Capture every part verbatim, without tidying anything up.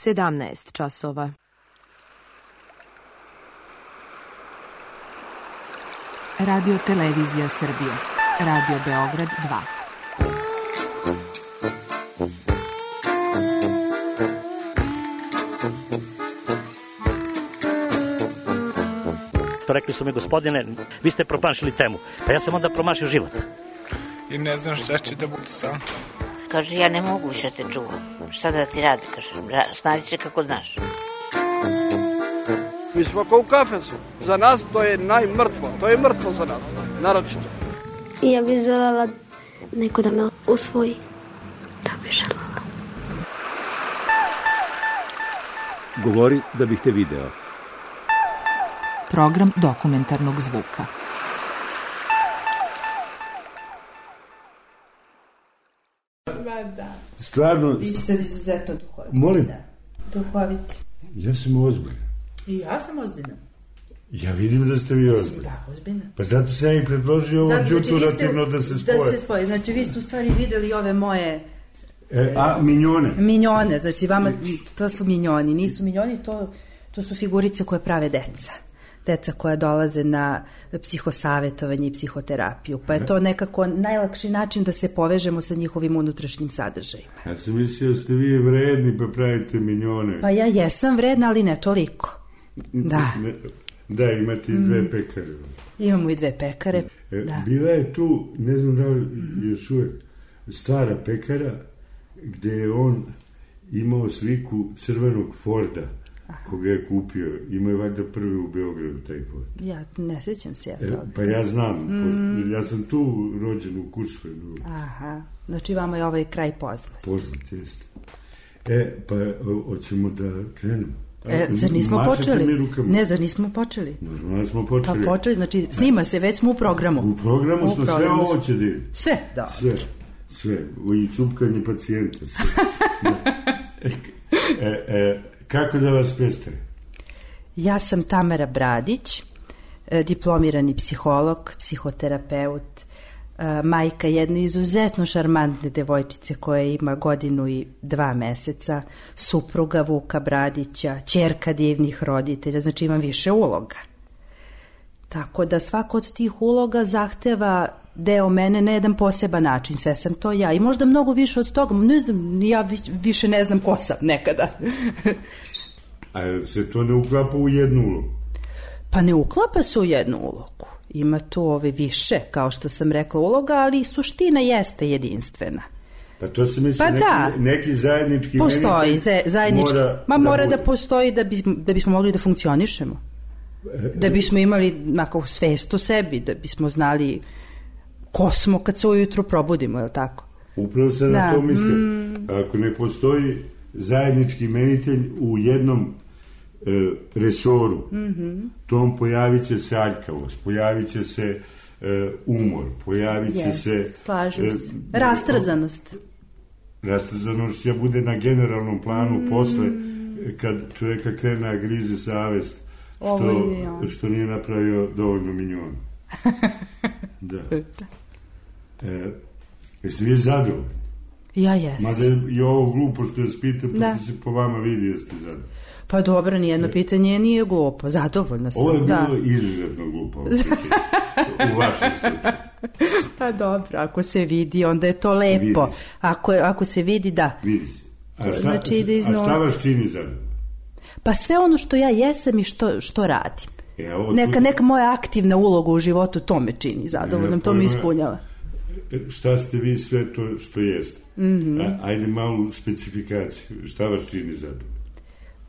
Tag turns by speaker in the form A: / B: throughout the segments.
A: sedamnaest časova.
B: Radio Televizija Srbije. Radio Beograd dva.
C: Rekli su mi, gospodine, vi ste promašili temu. Pa ja sam onda promašio život.
D: I ne znam šta će da bude sam.
E: Kaže, ja ne mogu više te čuvam. Šta da ti radi, kaže, snađi se kako znaš.
F: Mi smo kao u kafesu. Za nas to je najmrtvo. To je mrtvo za nas, naročito.
G: Ja bih želela neko da me usvoji. To bih želela.
H: Govori da bih te video.
B: Program dokumentarnog zvuka.
I: Ma da.
H: Stvarno...
I: Vi ste izuzetno duhoviti.
H: Molim?
I: Da. Duhoviti.
H: Ja sam ozbiljan.
I: I ja sam ozbiljna.
H: Ja vidim da ste vi ozbiljni.
I: Da, ozbiljna.
H: Pa zato sam i predložio ovo džuturativno da se spoje.
I: Da se spoje. Znači, vi ste u stvari videli ove moje...
H: E, a, minjone?
I: Minjone, znači vama, to su minjoni. Nisu minjoni, to, to su figurice koje prave deca. Deca koja dolaze na psihosavetovanje i psihoterapiju. Pa je to nekako najlakši način da se povežemo sa njihovim unutrašnjim sadržajima.
H: Ja sam mislio da ste vi vredni pa pravite minjone.
I: Pa ja jesam vredna, ali ne toliko. Da.
H: Ne, da, imate i dve pekare.
I: Imamo i dve pekare,
H: e,
I: da.
H: Bila je tu, ne znam da li još uvek, stara pekara gde je on imao sliku crvenog Forda. Aha. Koga je kupio. Ima je valjda prvi u Beogradu taj Ford.
I: Ja ne sjećam se ja to.
H: E, pa ja znam, mm. pošto, ja sam tu rođen u Kursovinu.
I: Aha, znači vama je ovaj kraj poznat.
H: Poznat, jeste. E, pa hoćemo da krenemo.
I: E, zar nismo počeli? Ne, zar nismo počeli?
H: Normalno smo počeli.
I: Pa počeli, znači snima se, već smo u programu.
H: U programu smo, sve ovo će da ide.
I: Sve, da.
H: Sve, sve. I cupkanje pacijenta. Sve. e, e, e, kako da vas predstavim?
I: Ja sam Tamara Bradić, diplomirani psiholog, psihoterapeut, majka jedne izuzetno šarmantne devojčice koja ima godinu i dva meseca, supruga Vuka Bradića, ćerka divnih roditelja, znači imam više uloga. Tako da svako od tih uloga zahteva deo mene na jedan poseban način, sve sam to ja i možda mnogo više od toga, ne znam, ja više ne znam ko sam nekada.
H: A se to ne uklapa u jednu ulogu?
I: Pa ne uklapa se u jednu ulogu. Ima tu ove više, kao što sam rekla, uloga, ali suština jeste jedinstvena.
H: Pa to se misli,
I: pa
H: neki,
I: da.
H: neki zajednički...
I: Postoji, zajednički.
H: Mora
I: Ma
H: da
I: mora
H: bude.
I: da postoji da, bi, da bismo mogli da funkcionišemo. Da bismo imali onako svest o sebi, da bismo znali ko smo kad se ujutru probudimo, je li tako?
H: Upravo se na
I: da.
H: to misle.
I: Mm.
H: Ako ne postoji zajednički imenitelj u jednom e, resoru, mm-hmm. tom pojavit će se aljkavost, pojavit će se e, umor, pojavit će
I: yes,
H: se...
I: slažem se. E, Rastrzanost.
H: Rastrzanost će bude na generalnom planu mm. posle, kad čovjeka krene a grize savest što, što nije napravio dovoljno minjona. Da. E, jeste vi zadovoljni?
I: Ja jesam.
H: Mada je ovo glupo što vas pitam, da. Pošto se po vama vidi jeste zadovoljni.
I: Pa dobro, nijedno e. pitanje nije glupo, zadovoljna sam.
H: Ovo je bilo
I: da.
H: izuzetno glupo ovo pitanje, u vašem slučaju.
I: Pa dobro, ako se vidi, onda je to lepo. Ako, ako se vidi, da.
H: Vidi se. A šta,
I: znači, da
H: a šta vas čini zadovoljno?
I: Pa sve ono što ja jesam i što, što radim.
H: E, ovo
I: neka,
H: tu...
I: neka moja aktivna uloga u životu, to me čini zadovoljnom, to me ispunjava.
H: Šta ste vi sve to što jeste?
I: Mm-hmm.
H: A, ajde malu specifikaciju. Šta vas čini zadovoljno?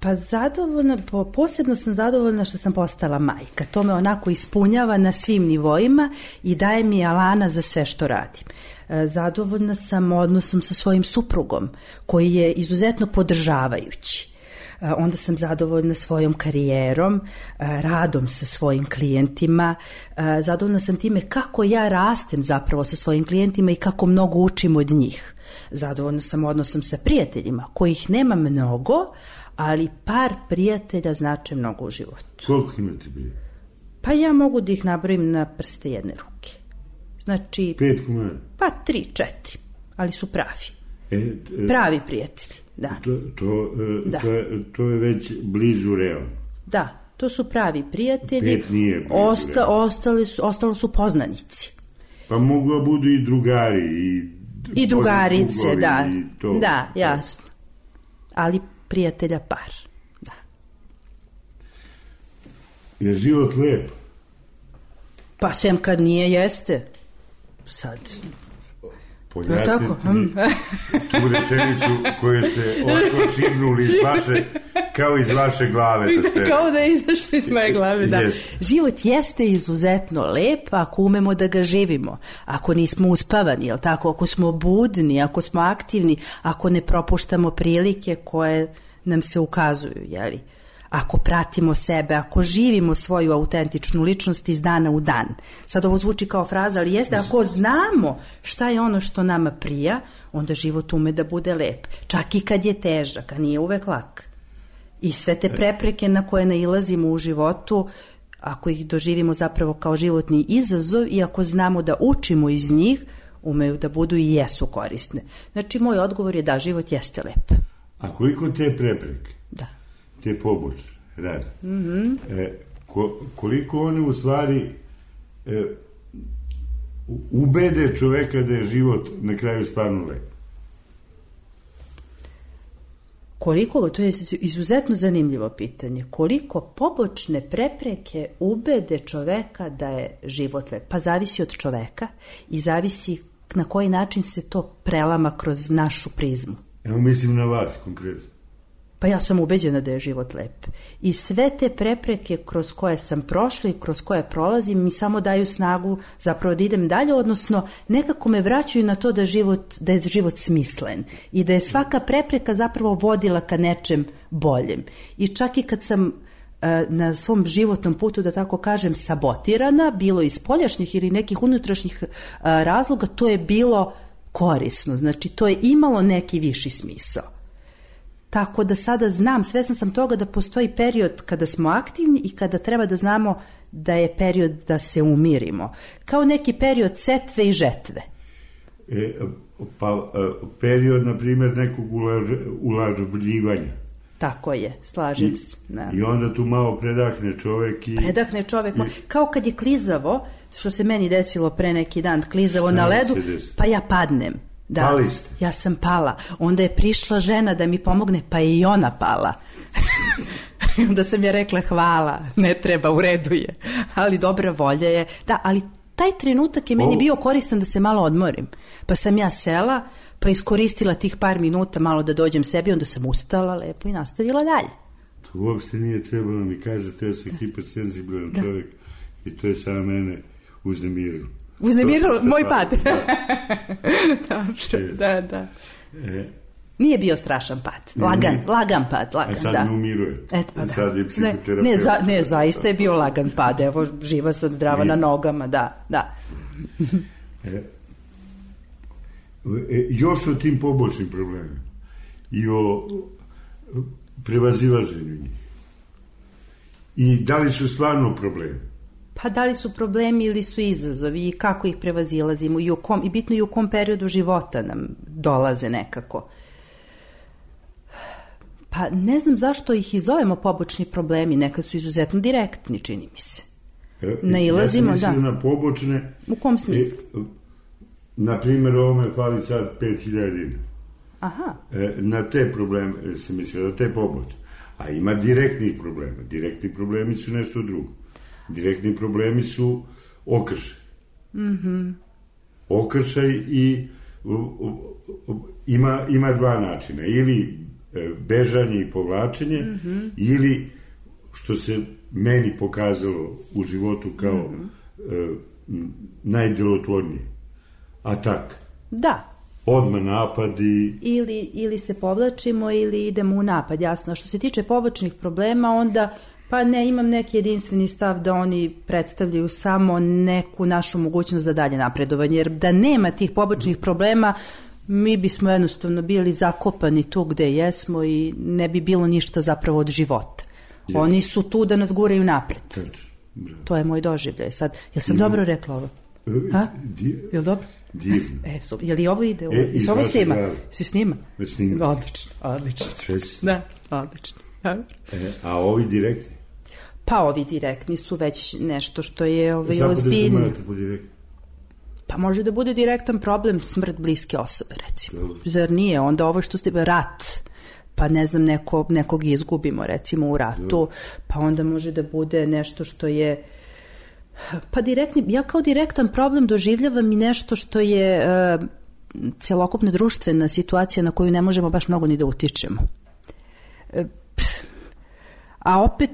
I: Pa zadovoljna, posebno sam zadovoljna što sam postala majka. To me onako ispunjava na svim nivoima i daje mi alana za sve što radim. Zadovoljna sam odnosom sa svojim suprugom, koji je izuzetno podržavajući. Onda sam zadovoljna svojom karijerom, radom sa svojim klijentima, zadovoljna sam time kako ja rastem zapravo sa svojim klijentima i kako mnogo učim od njih. Zadovoljna sam odnosom sa prijateljima, kojih nema mnogo, ali par prijatelja znače mnogo u životu.
H: Koliko imate bi?
I: Pa ja mogu da ih nabrojim na prste jedne ruke. Znači...
H: Pet komada?
I: Pa tri, četiri, ali su pravi.
H: E, e,
I: Pravi prijatelji, da.
H: To, to, e,
I: Da.
H: to, je, to je već blizu realno.
I: Da, to su pravi prijatelji.
H: Pet nije blizu
I: Osta,
H: realno.
I: ostali su, ostalo su poznanici.
H: Pa mogu da budu i drugari. I,
I: I drugarice,
H: drugovi,
I: da.
H: i to.
I: Da, jasno. Ali prijatelja par. Da.
H: Je život lep?
I: Pa sem kad nije, jeste. Sad.
H: Pojasnite
I: tako?
H: mi tu rečenicu koju ste otko šibnuli iz vaše, kao iz vaše glave. Da ste...
I: Kao da je izašlo iz moje glave, da.
H: Yes.
I: Život jeste izuzetno lep ako umemo da ga živimo. Ako nismo uspavani, jel tako? Ako smo budni, ako smo aktivni, ako ne propuštamo prilike koje nam se ukazuju, jeli? Ako pratimo sebe, ako živimo svoju autentičnu ličnost iz dana u dan. Sad ovo zvuči kao fraza, ali jeste, ako znamo šta je ono što nama prija, onda život ume da bude lep. Čak i kad je težak, a nije uvek lak. I sve te prepreke na koje nailazimo u životu, ako ih doživimo zapravo kao životni izazov i ako znamo da učimo iz njih, umeju da budu i jesu korisne. Znači, moj odgovor je da, život jeste lep.
H: A koliko te prepreke?
I: Da.
H: Te pobočne, razne. Mm-hmm. E, ko, koliko one u stvari e, ubede čoveka da je život na kraju stvarno lep?
I: Koliko, to je izuzetno zanimljivo pitanje, koliko pobočne prepreke ubede čoveka da je život lep? Pa zavisi od čoveka i zavisi na koji način se to prelama kroz našu prizmu.
H: Evo mislim na vas konkretno.
I: Pa ja sam ubeđena da je život lep. I sve te prepreke kroz koje sam prošla i kroz koje prolazim mi samo daju snagu zapravo da idem dalje, odnosno nekako me vraćaju na to da, život, da je život smislen i da je svaka prepreka zapravo vodila ka nečem boljem. I čak i kad sam e, na svom životnom putu, da tako kažem, sabotirana, bilo iz spoljašnjih ili nekih unutrašnjih e, razloga, to je bilo korisno. Znači, to je imalo neki viši smisao. Tako da sada znam, svesna sam toga da postoji period kada smo aktivni i kada treba da znamo da je period da se umirimo. Kao neki period setve i žetve.
H: E, pa period, na primjer, nekog ularvljivanja.
I: Tako je, slažem I, se. Da.
H: I onda tu malo predahne čovek i...
I: Predahne čovek,
H: i,
I: kao kad je klizavo, što se meni desilo pre neki dan, klizavo na ledu, pa ja padnem. Da,
H: Pali ste.
I: Ja sam pala. Onda je prišla žena da mi pomogne, pa je i ona pala. Onda sam je rekla hvala, ne treba, u redu je. Ali dobra volja je. Da, ali taj trenutak je meni
H: o...
I: bio koristan da se malo odmorim. Pa sam ja sela, pa iskoristila tih par minuta malo da dođem sebi, onda sam ustala lepo i nastavila dalje.
H: To uopšte nije trebalo mi kažete, ja sam hipersenzibilan da. čovjek i to je samo mene uznemirilo.
I: Uznemirilo moj pad.
H: Da.
I: Dobro, da, da.
H: E,
I: Nije bio strašan pad. Lagan, ne, lagan pad. Lagan,
H: a sad
I: da.
H: ne umiruje.
I: Et, pa, da.
H: Sad je psihoterapeut.
I: Ne, ne, za, ne, zaista je bio lagan pad. Evo, živa sam, zdrava Nije. na nogama, da, da.
H: E, e, još o tim pobočnim problemima i o prevazilaženju njih. I da li su stvarno problemi?
I: Pa da li su problemi ili su izazovi i kako ih prevazilazimo i, u kom, i bitno i u kom periodu života nam dolaze nekako. Pa ne znam zašto ih i zovemo pobočni problemi, nekad su izuzetno direktni, čini mi se.
H: E,
I: Nailazimo,
H: ja sam
I: da.
H: na pobočne...
I: U kom smislu?
H: E, na primjer, ovome fali sad pet hiljada dinara.
I: Aha.
H: E, na te probleme se mislio, na te pobočne. A ima direktnih problema. Direktni problemi su nešto drugo. Direktni problemi su okršaj. Mm-hmm. Okršaj i u, u, u, ima, ima dva načina. Ili e, bežanje i povlačenje, mm-hmm. ili što se meni pokazalo u životu kao mm-hmm. e, najdelotvornije. Atak.
I: Da.
H: Odmah napadi.
I: Ili, ili se povlačimo ili idemo u napad, jasno. A što se tiče pobočnih problema, onda... Pa ne, imam neki jedinstveni stav da oni predstavljaju samo neku našu mogućnost za dalje napredovanje, jer da nema tih pobočnih problema, mi bismo jednostavno bili zakopani tu gde jesmo i ne bi bilo ništa zapravo od života. Je. Oni su tu da nas guraju napred.
H: Tačno.
I: To je moj doživljaj. Sad, jel sam Ima... dobro rekla ovo? Ha? Je li dobro?
H: Divno.
I: E, so, je li ovo ide?
H: E,
I: I ovo snima?
H: Glave.
I: Se snima?
H: Snima.
I: Odlično, odlično.
H: Čest.
I: Da, odlično.
H: E, a ovi direktni?
I: Pa ovi direktni su već nešto što je ovaj,
H: Znamo
I: ozbiljno.
H: da znate po direktni?
I: Pa može da bude direktan problem smrt bliske osobe, recimo. Dobro. Zar nije? Onda ovo što ste rat, pa ne znam, neko, nekog izgubimo, recimo, u ratu, Dobro. Pa onda može da bude nešto što je... Pa direktni, ja kao direktan problem doživljavam i nešto što je uh, celokupna društvena situacija na koju ne možemo baš mnogo ni da utičemo. Uh, a opet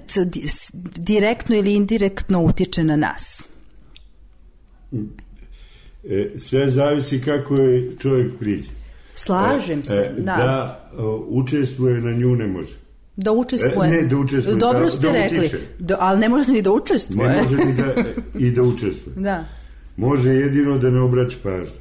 I: direktno ili indirektno utiče na nas.
H: E, sve zavisi kako je čovjek priđe.
I: Slažem se,
H: e,
I: da.
H: Da uh, učestvuje na nju ne može.
I: Da učestvuje.
H: E, ne, da učestvuje.
I: Dobro
H: da,
I: ste
H: da
I: rekli, da, ali ne može ni da učestvuje.
H: Ne može ni da, i da učestvuje.
I: Da.
H: Može jedino da ne obraća pažnju.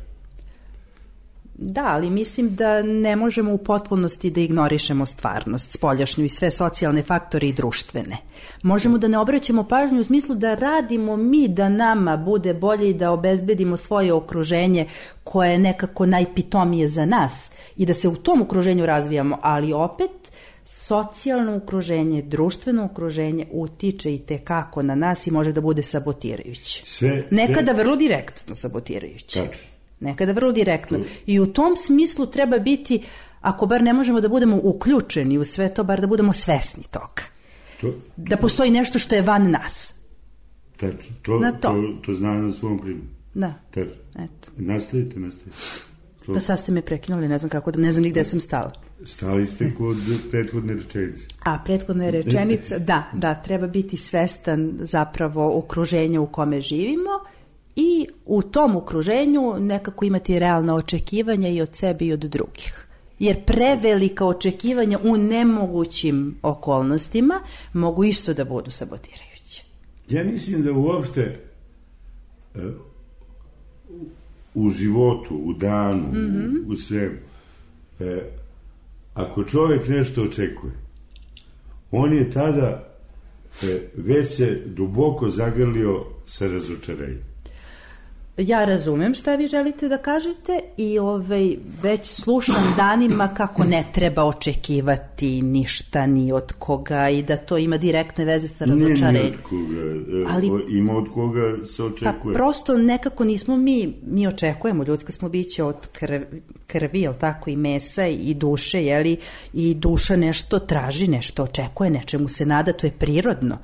I: Da, ali mislim da ne možemo u potpunosti da ignorišemo stvarnost, spoljašnju i sve socijalne faktore i društvene. Možemo da ne obraćamo pažnju u smislu da radimo mi da nama bude bolje i da obezbedimo svoje okruženje koje je nekako najpitomije za nas i da se u tom okruženju razvijamo, ali opet socijalno okruženje, društveno okruženje utiče i tekako na nas i može da bude sabotirajuće. Sve, Nekada sve... vrlo direktno sabotirajuće.
H: Tačno.
I: Nekada vrlo direktno. I u tom smislu treba biti, ako bar ne možemo da budemo uključeni u sve to, bar da budemo svesni toga. To, da postoji nešto što je van nas.
H: Tačno. To, to. to, to znam na svom primjeru.
I: Da.
H: Tačno.
I: Eto.
H: Nastavite, nastavite. Slovo.
I: Pa sad ste me prekinuli, ne znam kako, da ne znam ni gde sam stala.
H: Stali ste kod prethodne rečenice.
I: A, prethodna rečenica, da, da, treba biti svestan zapravo okruženja u kome živimo i u tom okruženju nekako imati realna očekivanja i od sebe i od drugih. Jer prevelika očekivanja u nemogućim okolnostima mogu isto da budu sabotirajuće.
H: Ja mislim da uopšte uh, u životu, u danu, mm-hmm. u, u svemu, uh, ako čovjek nešto očekuje, on je tada uh, već se duboko zagrlio sa razočarenjem.
I: Ja razumem šta vi želite da kažete i ovaj, već slušam danima kako ne treba očekivati ništa ni od koga i da to ima direktne veze sa razočarenjem.
H: Ne, ni od koga. Ali, ima od koga se očekuje.
I: Pa prosto nekako nismo mi, mi očekujemo, ljudska smo biće od krvi, krvi, jel tako, i mesa i duše, jeli, i duša nešto traži, nešto očekuje, nečemu se nada, to je prirodno.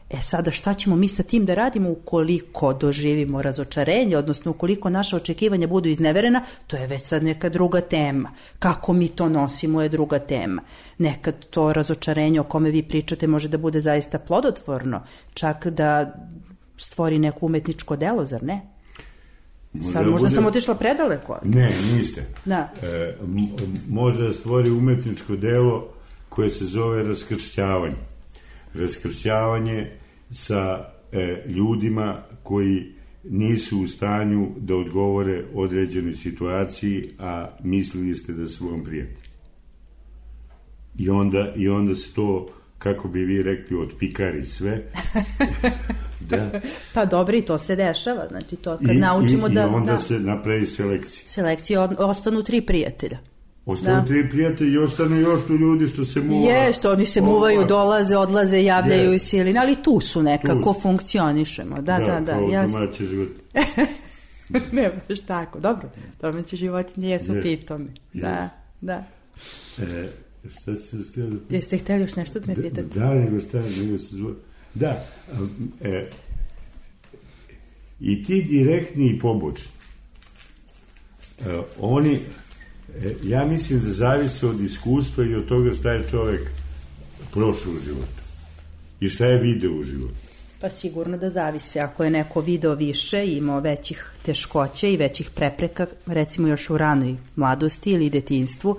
I: E sada šta ćemo mi sa tim da radimo ukoliko doživimo razočarenje, odnosno ukoliko naša očekivanja budu izneverena, to je već sad neka druga tema. Kako mi to nosimo je druga tema. Nekad to razočarenje o kome vi pričate može da bude zaista plodotvorno, čak da stvori neko umetničko delo, zar ne?
H: Možda,
I: sad, možda
H: bude...
I: sam otišla predaleko.
H: Ne, niste.
I: Da.
H: E, može da stvori umetničko delo koje se zove raskršćavanje. Raskršćavanje sa e, ljudima koji nisu u stanju da odgovore određenoj situaciji, a mislili ste da su vam prijatelji. I onda, i onda se to, kako bi vi rekli, otpikari sve. Da.
I: Pa dobro, i to se dešava. Znači to kad
H: I,
I: naučimo
H: i,
I: da...
H: I onda
I: da,
H: se napravi selekcija.
I: Selekcija, ostanu tri prijatelja.
H: Ostanu da. tri prijatelji i ostanu još tu ljudi što se muva.
I: Jeste, oni se muvaju, dolaze, odlaze, javljaju i siline, ali tu su nekako, tu funkcionišemo. Da, da, da. Da,
H: kao domaći život.
I: Ne, baš tako, dobro. Domaći životinje jesu je. Pitomi. Da, da.
H: E, šta se htjeli?
I: Jeste htjeli još nešto da me pitate?
H: Da, da, nego šta, nego se zvo... Da, e, i ti direktni i pobočni, e, oni... Ja mislim da zavise od iskustva i od toga šta je čovjek prošao u životu i šta je video u životu.
I: Pa sigurno da zavise. Ako je neko video više i imao većih teškoća i većih prepreka, recimo još u ranoj mladosti ili detinjstvu,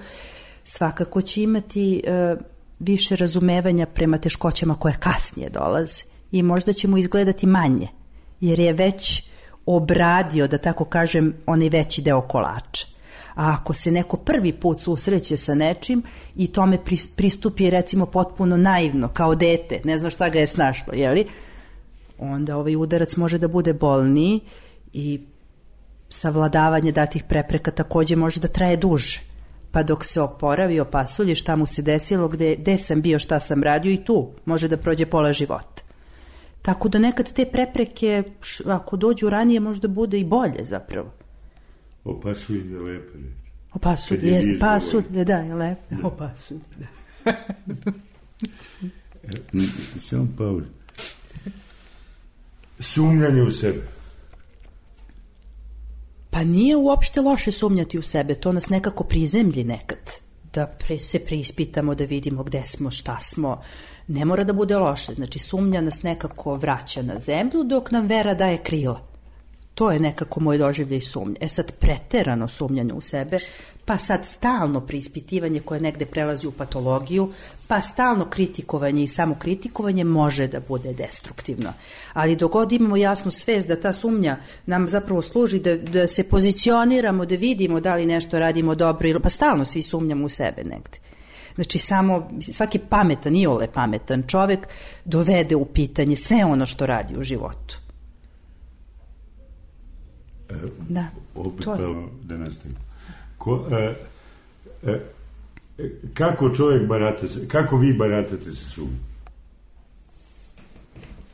I: svakako će imati e, više razumevanja prema teškoćama koje kasnije dolaze i možda će mu izgledati manje, jer je već obradio, da tako kažem, onaj veći deo kolača. A ako se neko prvi put susreće sa nečim i tome pristupi recimo potpuno naivno, kao dete, ne zna šta ga je snašlo, jeli? Onda ovaj udarac može da bude bolniji i savladavanje datih prepreka takođe može da traje duže. Pa dok se oporavi, opasulji šta mu se desilo, gde, gde sam bio, šta sam radio i tu može da prođe pola života. Tako da nekad te prepreke, ako dođu ranije, možda bude i bolje zapravo.
H: Opasulj je lepa reč.
I: Opasulj, jeste, pasulj, da, je lepa. Da. Opasulj, da.
H: Samo pauza. Sumnjanje u sebe.
I: Pa nije uopšte loše sumnjati u sebe, to nas nekako prizemlji nekad. Da pre, se preispitamo, da vidimo gde smo, šta smo. Ne mora da bude loše, znači sumnja nas nekako vraća na zemlju dok nam vera daje krila. To je nekako moj doživljaj sumnje. E sad preterano sumnjanje u sebe, pa sad stalno preispitivanje koje negde prelazi u patologiju, pa stalno kritikovanje i samokritikovanje može da bude destruktivno. Ali dok god imamo jasnu svest da ta sumnja nam zapravo služi da, da se pozicioniramo, da vidimo da li nešto radimo dobro, ili, pa stalno svi sumnjamo u sebe negde. Znači samo, svaki pametan, iole pametan čovek dovede u pitanje sve ono što radi u životu. Da,
H: opet pravo da nastavimo. Ko, e, e, kako čovjek barata, kako vi baratate sa sumnjom?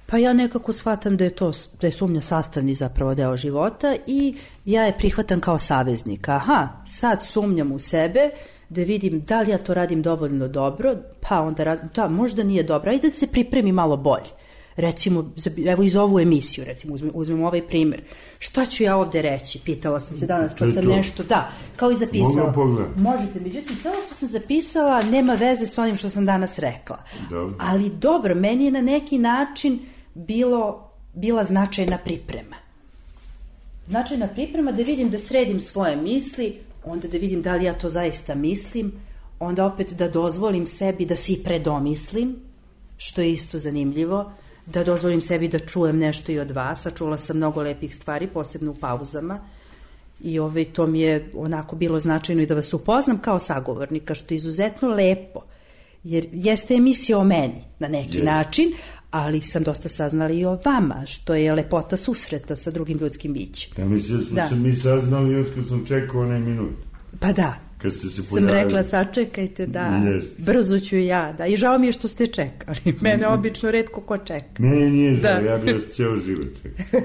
I: Pa ja nekako shvatam da je to, da je sumnja sastavni zapravo deo života i ja je prihvatam kao saveznika. Aha, sad sumnjam u sebe, da vidim da li ja to radim dovoljno dobro, pa onda radim, da, možda nije dobro, ajde da se pripremi malo bolje. Recimo, evo iz ovu emisiju, recimo, uzmem, uzmem ovaj primjer. Šta ću ja ovde reći? Pitala sam se danas, pa sam to nešto, da, kao i zapisala. Možete, međutim, sve što sam zapisala nema veze s onim što sam danas rekla. Dobro. Ali dobro, meni je na neki način bilo, bila značajna priprema. Značajna priprema da vidim, da sredim svoje misli, onda da vidim da li ja to zaista mislim, onda opet da dozvolim sebi da se i predomislim, što je isto zanimljivo, da dozvolim sebi da čujem nešto i od vas, a čula sam mnogo lepih stvari, posebno u pauzama, i ovaj, to mi je onako bilo značajno i da vas upoznam kao sagovornika, što je izuzetno lepo, jer jeste emisija o meni na neki yes. način, ali sam dosta saznala i o vama, što je lepota susreta sa drugim ljudskim bićem.
H: Ja mislim da smo da. se mi saznali još kad sam čekao onaj minut.
I: Pa da.
H: Kad ste se
I: sam rekla, sačekajte, da, yes. brzo ću ja, da, i žao mi je što ste čekali, mene obično retko ko čeka.
H: Mene nije žao, da. ja bih vas cijelo život čekao.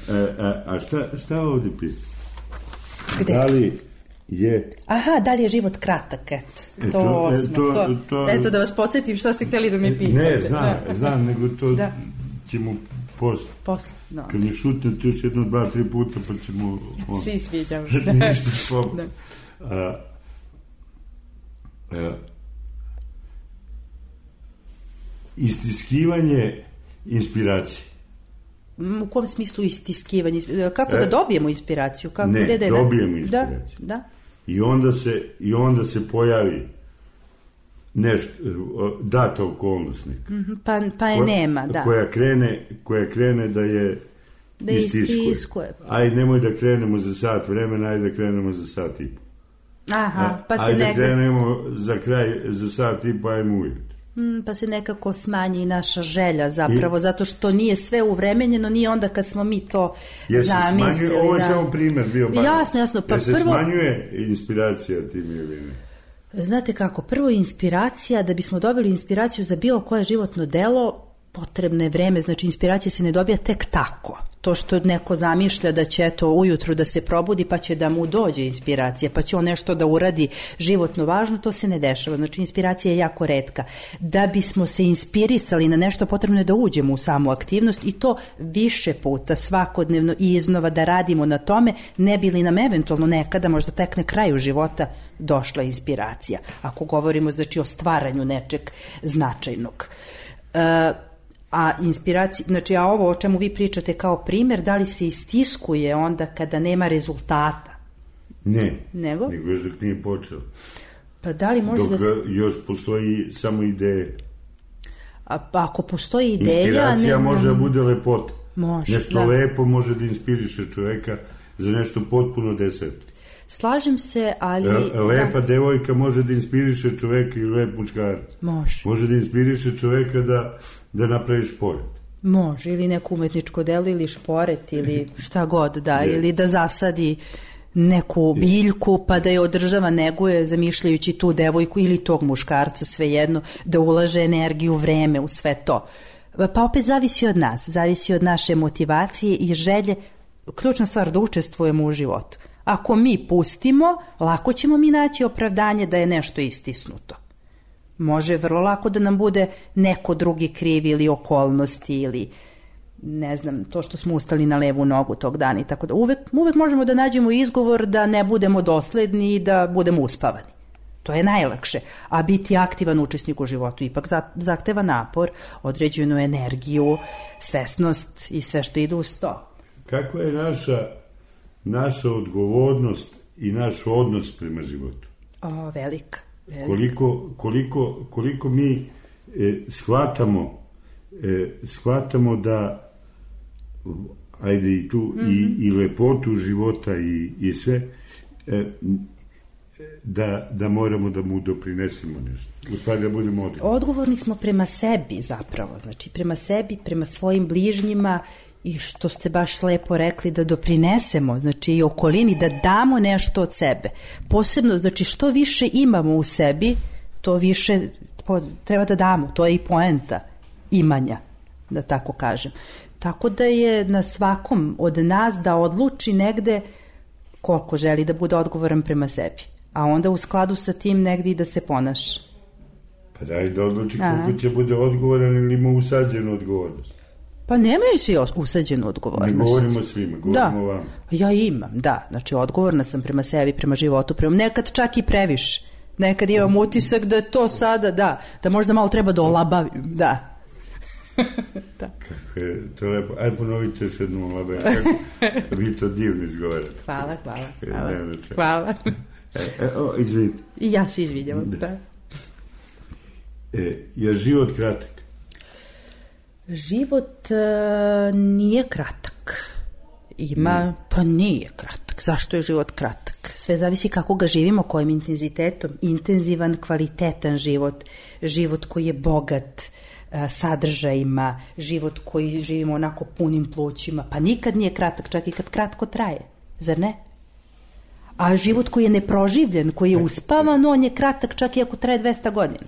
H: E, a a šta, šta ovdje piše?
I: Gde?
H: Da li je...
I: Aha, da li je život kratak, eto, e, to osmo, to, to, to... Eto, da vas podsjetim šta ste htjeli da mi pitate.
H: Ne, znam, da. znam, nego to da. ćemo posle.
I: Posle, no.
H: Kad mi šutnete još jedno, dva, tri puta, pa ćemo...
I: On, svi sviđam.
H: Ništa spobu. A, a, istiskivanje inspiracije.
I: U kom smislu istiskivanje? Kako e, da dobijemo inspiraciju? Kako,
H: ne,
I: gde, gde,
H: dobijemo inspiraciju.
I: Da, da.
H: I onda se, i onda se pojavi nešto, data okolnost neka.
I: Mm-hmm, pa, pa je koja, nema, da.
H: Koja krene, koja krene da je
I: da istiskuje. istiskuje.
H: Ajde, nemoj da krenemo za sat vremena, ajde da krenemo za sat i po.
I: Aha, pa se
H: ajde
I: nekako...
H: krenemo za kraj, za sat i po, ajmo ujutro.
I: Mm, pa se nekako smanji i naša želja zapravo, I... zato što nije sve uvremenjeno, nije onda kad smo mi to
H: Jesi
I: zamislili.
H: Smanjuje, ovo je
I: da...
H: samo primjer bio. Bar.
I: Jasno, jasno. Pa
H: Jer se
I: prvo...
H: smanjuje inspiracija tim ili ne?
I: Znate kako, prvo inspiracija, da bismo dobili inspiraciju za bilo koje životno delo, potrebno je vreme, znači inspiracija se ne dobija tek tako. To što neko zamišlja da će eto ujutru da se probudi pa će da mu dođe inspiracija, pa će on nešto da uradi životno važno, to se ne dešava. Znači inspiracija je jako retka. Da bismo se inspirisali na nešto, potrebno je da uđemo u samu aktivnost i to više puta, svakodnevno i iznova da radimo na tome, ne bi li nam eventualno nekada, možda tek na kraju života, došla inspiracija. Ako govorimo znači o stvaranju nečeg značajnog. E, A inspiracija, znači, a ovo o čemu vi pričate kao primjer, da li se istiskuje onda kada nema rezultata?
H: Ne,
I: nego,
H: nego još dok nije počeo.
I: Pa da li može
H: dok
I: da...
H: još postoji samo ideje.
I: A, pa ako postoji ideja...
H: Inspiracija
I: ne...
H: može da bude lepota.
I: Može,
H: nešto
I: da.
H: lepo može da inspiriše čoveka za nešto potpuno deseto.
I: Slažem se, ali...
H: Lepa
I: da.
H: devojka može da inspiriše čoveka i lep muškarac.
I: Može.
H: Može da inspiriše čoveka da, da napravi šport.
I: Može, ili neko umetničko delo, ili šporet, ili šta god, da, ili da zasadi neku biljku, pa da je održava, neguje, zamišljajući tu devojku ili tog muškarca, svejedno, da ulaže energiju, vreme u sve to. Pa opet zavisi od nas, zavisi od naše motivacije i želje, ključna stvar da učestvujemo u životu. Ako mi pustimo, lako ćemo mi naći opravdanje da je nešto istisnuto. Može vrlo lako da nam bude neko drugi kriv ili okolnosti ili ne znam, to što smo ustali na levu nogu tog dana i tako da. Uvek, uvek možemo da nađemo izgovor da ne budemo dosledni i da budemo uspavani. To je najlakše. A biti aktivan učesnik u životu ipak zahteva napor, određenu energiju, svesnost i sve što ide uz to.
H: Kakva je naša, naša odgovornost i naš odnos prema životu?
I: O, velika. velika.
H: Koliko, koliko, koliko mi e, shvatamo, e, shvatamo da ajde i tu mm-hmm. i, i lepotu života i, i sve e, da, da moramo da mu doprinesemo nešto. Uspadi da budemo odgovorni.
I: Odgovorni smo prema sebi zapravo, znači prema sebi, prema svojim bližnjima i što ste baš lepo rekli da doprinesemo, znači i okolini, da damo nešto od sebe. Posebno, znači što više imamo u sebi, to više treba da damo, to je i poenta imanja, da tako kažem. Tako da je na svakom od nas da odluči negde koliko želi da bude odgovoran prema sebi. A onda u skladu sa tim negde i da se ponaša.
H: Pa daj da odluči koliko će bude odgovoran ili ima usađenu odgovornost.
I: Pa nemaju svi usađenu odgovornost.
H: Ne govorimo svima, govorimo o vama.
I: Ja imam, da. Znači odgovorna sam prema sebi, prema životu, prema nekad čak i previše. Nekad imam utisak da je to sada, da, da možda malo treba da olabavim, da. Da.
H: Kako je to lepo. Ajde ponovite još jednu olabavim. Kako vi to divno izgovarate.
I: Hvala, hvala. Hvala. Hvala.
H: E, e, o, izvinite.
I: I ja se izvinjam. Da.
H: E, je život kratak?
I: Život uh, nije kratak. Ima, pa nije kratak. Zašto je život kratak? Sve zavisi kako ga živimo, kojim intenzitetom. Intenzivan, kvalitetan život. Život koji je bogat uh, sadržajima. Život koji živimo onako punim plućima. Pa nikad nije kratak, čak i kad kratko traje. Zar ne? A život koji je neproživljen, koji je uspavan, on je kratak čak i ako traje dvesta godina.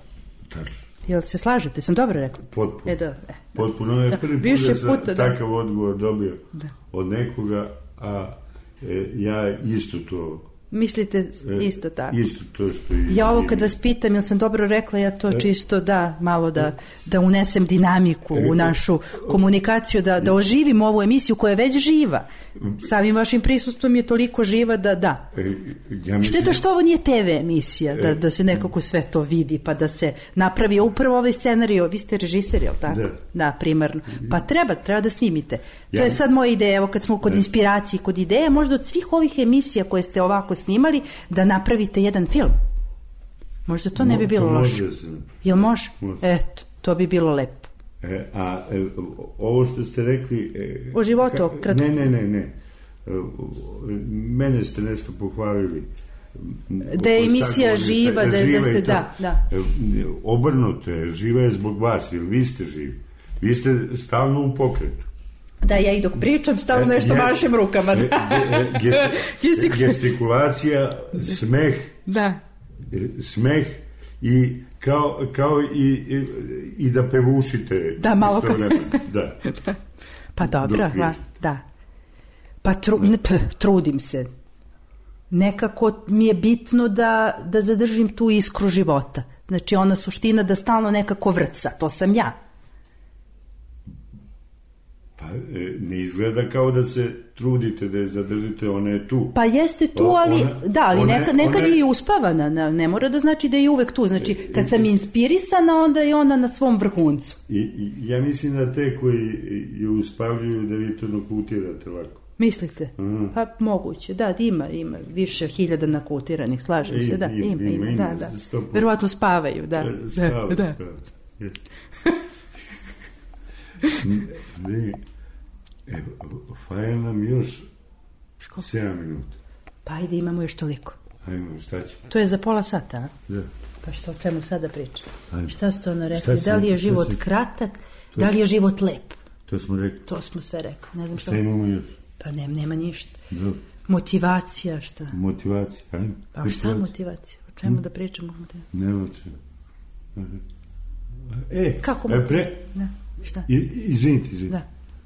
H: Tačno.
I: Jel se slažete? Sam dobro rekla?
H: Potpuno.
I: E, dobro. E,
H: Potpuno je prvi put da sam
I: puta, da.
H: takav odgovor dobio
I: da.
H: Od nekoga, a e, ja isto to...
I: Mislite isto tako?
H: Isto to što... I,
I: ja ovo kad vas pitam, jel sam dobro rekla, ja to čisto da, malo da, da unesem dinamiku u našu komunikaciju, da, da oživim ovu emisiju koja je već živa. Samim vašim prisustvom je toliko živa da da.
H: Ja
I: Šteta što ovo nije te ve emisija, da, da se nekako sve to vidi, pa da se napravi upravo ovaj scenarij. Vi ste režiser, jel tako? Da. Da, primarno. Pa treba, treba da snimite. To je sad moja ideja, evo kad smo kod inspiracije, kod ideja, možda od svih ovih emisija koje ste ovako snimali, da napravite jedan film. Možda to ne bi bilo loše. Jel može? Eto, to bi bilo lepo.
H: E, a e, ovo što ste rekli... E,
I: o životu,
H: ka,
I: kratko.
H: Ne, ne, ne, ne. E, mene ste nešto pohvalili.
I: Da je emisija živa, da, da ste, da, da.
H: Obrnuto je, živa je zbog vas, jer vi ste živi. Vi ste stalno u pokretu.
I: Da, ja i dok pričam, stalno nešto yes. mašem rukama. Da.
H: Gest, gestikulacija, smeh,
I: da.
H: smeh i kao, kao i, i, i da pevušite.
I: Da, malo kao.
H: Da.
I: Pa dobro, va, da. Pa tru, ne, p, trudim se. Nekako mi je bitno da, da zadržim tu iskru života. Znači ona suština da stalno nekako vrca, to sam ja.
H: Pa ne izgleda kao da se trudite da je zadržite, ona je tu.
I: Pa jeste tu, ali, ona, da, ali one, nekad, nekad one... je i uspavana, ne, ne mora da znači da je uvek tu. Znači, kad sam inspirisana, onda je ona na svom vrhuncu.
H: I, i ja mislim da te koji je uspavljuju da vi to nakutirate lako.
I: Mislite? Aha. Pa moguće, da, ima, ima više hiljada nakutiranih, slažem se, da, ima, ima, ima, ima da, da. Verovatno spavaju, da.
H: Spavaju, da. Spavaju. Ne, evo, fajn nam još sedam minuta.
I: Pa ajde, imamo još toliko.
H: Ajmo, šta ćemo?
I: To je za pola sata, a?
H: Da.
I: Pa što, o čemu sada pričam?
H: Ajmo.
I: Šta ste ono rekli? Da li je život kratak, da li je život lep?
H: To smo rekli.
I: To smo sve rekli. Ne znam što...
H: Šta imamo još?
I: Pa ne, nema ništa.
H: Dobro.
I: Motivacija, šta?
H: Motivacija, ajde.
I: A šta motivacija? O čemu hmm? da pričamo?
H: Ne o čemu. E,
I: kako
H: e, pre...
I: Da. Šta?
H: Izvinite, izvinite. Da.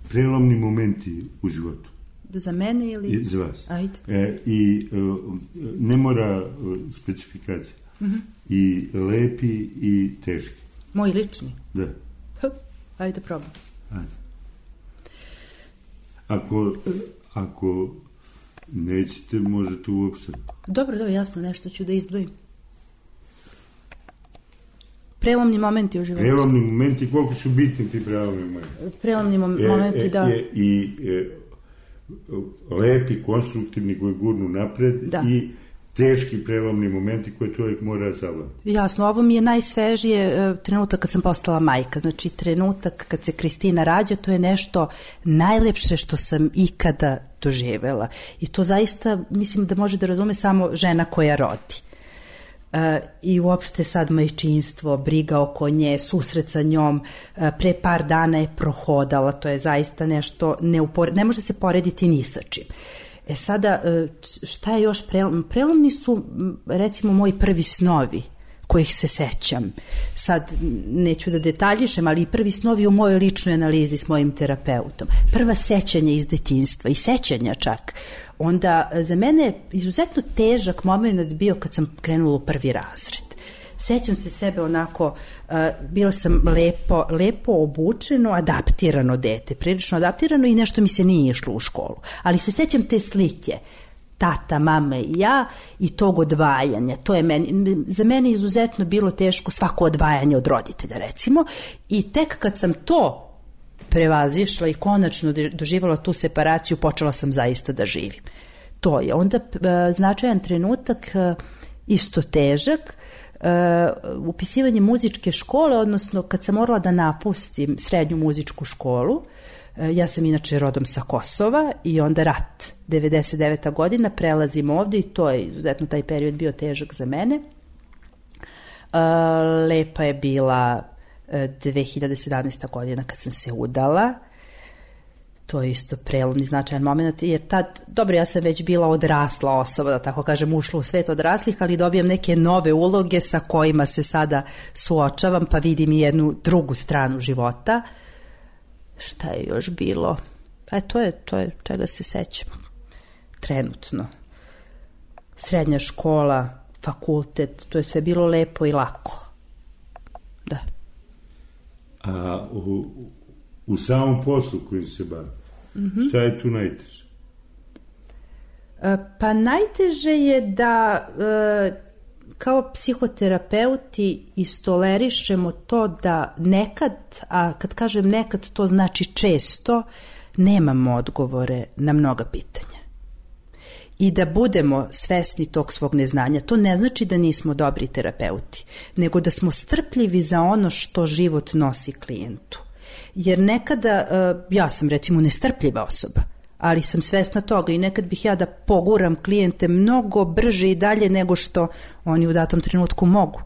H: Prelomni momenti u životu.
I: Za mene ili...
H: I za vas.
I: Ajde.
H: E, I uh, ne mora uh, specifikacija. Mm-hmm. I lepi i teški.
I: Moj lični?
H: Da.
I: H, ajde probam.
H: Ajde. Ako, ako nećete, možete uopšte.
I: Dobro, dobro, jasno, nešto ću da izdvojim. Prelomni momenti u životu.
H: Prelomni momenti, koliko su bitni ti prelomni momenti?
I: Prelomni mom- momenti, e, e, da.
H: E, I e, lepi, konstruktivni koji gurnu napred da. I teški prelomni momenti koje čovjek mora savladati.
I: Jasno, ovo mi je najsvežije e, trenutak kad sam postala majka. Znači, trenutak kad se Kristina rađa, to je nešto najlepše što sam ikada doživela. I to zaista, mislim da može da razume samo žena koja rodi. Uh, i uopšte sad majčinstvo, briga oko nje, susret sa njom, uh, pre par dana je prohodala, to je zaista nešto, neupore, ne može se porediti ni sa čim. E sada, uh, šta je još prelom? Prelomni su, recimo, moji prvi snovi, kojih se sećam. Sad, neću da detaljišem, ali i prvi snovi u mojoj ličnoj analizi s mojim terapeutom. Prva sećanja iz detinjstva i sećanja čak. Onda za mene je izuzetno težak moment bio kad sam krenula u prvi razred. Sećam se sebe onako, uh, bila sam lepo, lepo obučeno, adaptirano dete, prilično adaptirano i nešto mi se nije išlo u školu. Ali se sećam te slike, tata, mama i ja i tog odvajanja. To je meni, za mene izuzetno bilo teško svako odvajanje od roditelja, recimo. I tek kad sam to prevazišla i konačno doživjela tu separaciju, počela sam zaista da živim. To je onda značajan trenutak, isto težak, upisivanje muzičke škole, odnosno kad sam morala da napustim srednju muzičku školu. Ja sam inače rodom sa Kosova i onda rat, devedeset deveta godina, prelazim ovde i to je izuzetno taj period bio težak za mene. Lepa je bila dve hiljade sedamnaesta godina kad sam se udala. To je isto prelomni značajan moment, jer tad, dobro, ja sam već bila odrasla osoba, da tako kažem, ušla u svet odraslih, ali dobijam neke nove uloge sa kojima se sada suočavam, pa vidim i jednu drugu stranu života. Šta je još bilo? E, to je, to je čega se sećam. Trenutno. Srednja škola, fakultet, to je sve bilo lepo i lako. Da.
H: A u, u samom poslu kojim se bavi, mm-hmm. šta je tu najteže?
I: Pa najteže je da e, kao psihoterapeuti istolerišemo to da nekad, a kad kažem nekad to znači često, nemamo odgovore na mnoga pitanja. I da budemo svesni tog svog neznanja. To ne znači da nismo dobri terapeuti, nego da smo strpljivi za ono što život nosi klijentu. Jer nekada, ja sam recimo nestrpljiva osoba, ali sam svesna toga i nekad bih ja da poguram klijente mnogo brže i dalje nego što oni u datom trenutku mogu.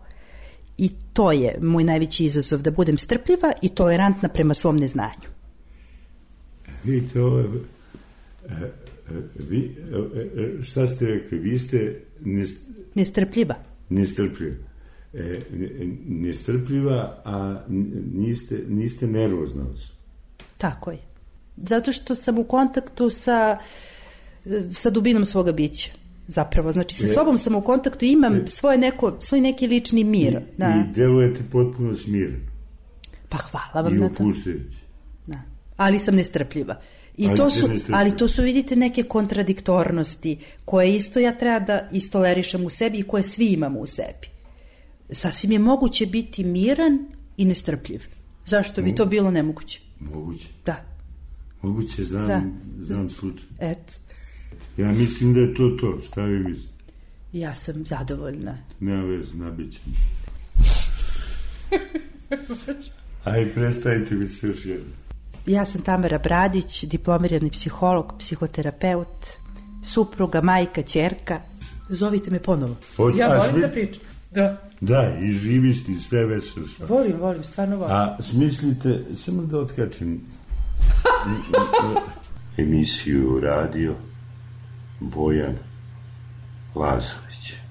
I: I to je moj najveći izazov, da budem strpljiva i tolerantna prema svom neznanju.
H: Vidite, ovo je... Vi, šta ste rekli? Vi ste nest...
I: nestrpljiva.
H: Nestrpljiva. E, nestrpljiva, a niste, niste nervozna osoba.
I: Tako je. Zato što sam u kontaktu sa, sa dubinom svoga bića. Zapravo, znači sa e, sobom sam u kontaktu i imam e, svoje neko, svoj neki lični mir.
H: I,
I: da.
H: I delujete potpuno smireno.
I: Pa hvala vam na to.
H: I opuštajući.
I: Da. Ali sam nestrpljiva. I
H: ali,
I: to su, ali to su, vidite, neke kontradiktornosti koje isto ja treba da istolerišem u sebi i koje svi imamo u sebi. Sasvim je moguće biti miran i nestrpljiv. Zašto bi to bilo nemoguće?
H: Moguće.
I: Da.
H: Moguće, znam, da. znam slučaj.
I: Eto.
H: Ja mislim da je to to. Šta vi mislite?
I: Ja sam zadovoljna.
H: Nema veze, nabićem. Aj, predstavite mi se još jedno.
I: Ja sam Tamara Bradić, diplomirani psiholog, psihoterapeut, supruga, majka, ćerka. Zovite me ponovo.
H: Hoć,
I: ja volim
H: smi...
I: da pričam. Da.
H: Da, i živi ste, sve veselo.
I: Volim, volim, stvarno volim.
H: A smislite, samo da otkačem, Emisiju radio Bojan Lazović.